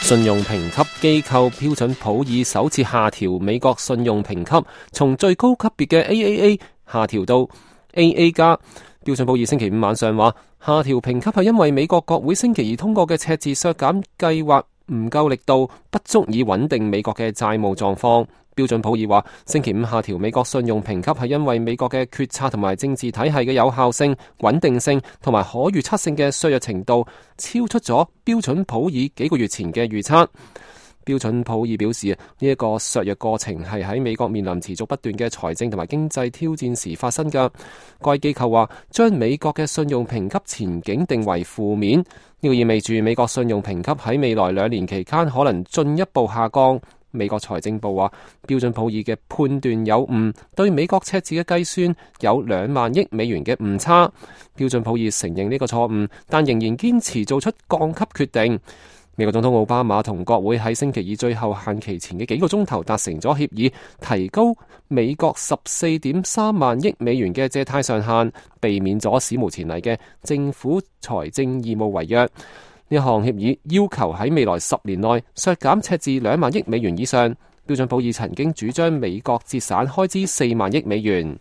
信用評級機構標準普爾首次下調美國信用評級，從最高級別嘅 AAA 下調到 AA 加。標準普爾星期五晚上話，下調評級係因為美國國會星期二通過嘅赤字削減計劃唔夠力度，不足以穩定美國嘅債務狀況。標準普爾話，星期五下調美國信用評級係因為美國嘅決策同埋政治體系嘅有效性、穩定性同埋可預測性嘅削弱程度超出咗標準普爾幾個月前嘅預測。標準普爾表示，呢一個削弱過程係喺美國面臨持續不斷嘅財政同埋經濟挑戰時發生㗎。該機構話，將美國嘅信用評級前景定為負面，呢個意味住美國信用評級喺未來2年期間可能進一步下降。美國財政部話，標準普爾嘅判斷有誤，對美國赤字嘅計算有2萬億美元嘅誤差。標準普爾承認呢個錯誤，但仍然堅持做出降級決定。美國總統奧巴馬同國會喺星期二最後限期前嘅幾個鐘頭達成咗協議，提高美國14.3萬億美元嘅借貸上限，避免咗史無前例嘅政府財政義務違約。呢項協議要求喺未來10年內削減赤字2萬億美元以上。標準普爾曾經主張美國節省開支4萬億美元。